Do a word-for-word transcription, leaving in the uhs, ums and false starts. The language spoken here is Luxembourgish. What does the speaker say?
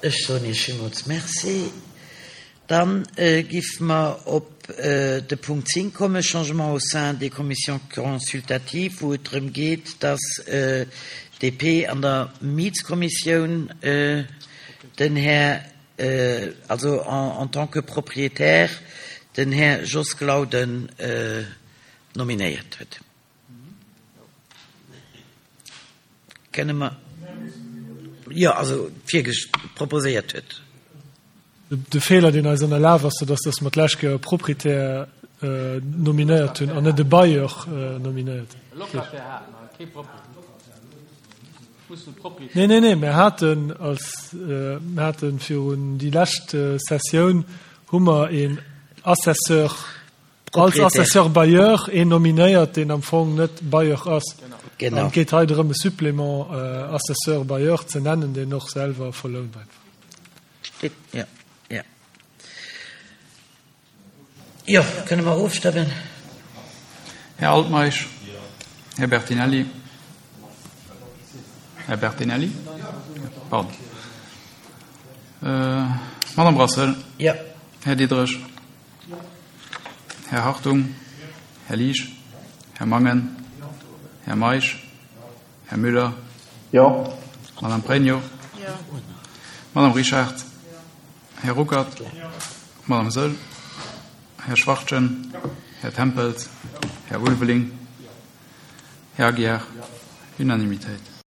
Ech soen Iech villmools Merci. Dann giff mer op de Punkt zéng kommen, Changements au sein des commissions consultatives, wou et drëm geet, dass D P an der Mietskommissioun den Här, also en tant que propriétaire, den Här Jos Glauden nominéiert huet. Kënne mer, jo, also proposéiert huet. De Feeler, deen eis ënnerlaf ass, dat ass, dass mer d'lescht Kéier e Proprietär nominéiert hunn an net e Bailleur nominéiert. Nee, nee, nee, mir haten als, mir hate virun déi lescht Sessioun hu mer een Assesseur, als Assesseur bailleur een nominéiert, deen am Fong net Bailleur ass. An et geet hei drëm, e Supplément Assesseur bailleur ze nennen, deen och selwer verlount einfach. Steet, jo, jo. Jo, kënne mer ofstëmmen? Här Altmeisch? Här Bertinelli? Här Bertinelli? Pardon. Madame Brassel? Jo. Här Diderich? Här Hartung? Här Liesch? Här Mangen? Här Meisch? Här Müller? Jo. Madame Pregno? Jo. Madame Richard? Här Ruckert? Madame Saeul? Här Schwachtgen? Här Tempels? Här Ulveling? Här Aguiar? Unanimitéit.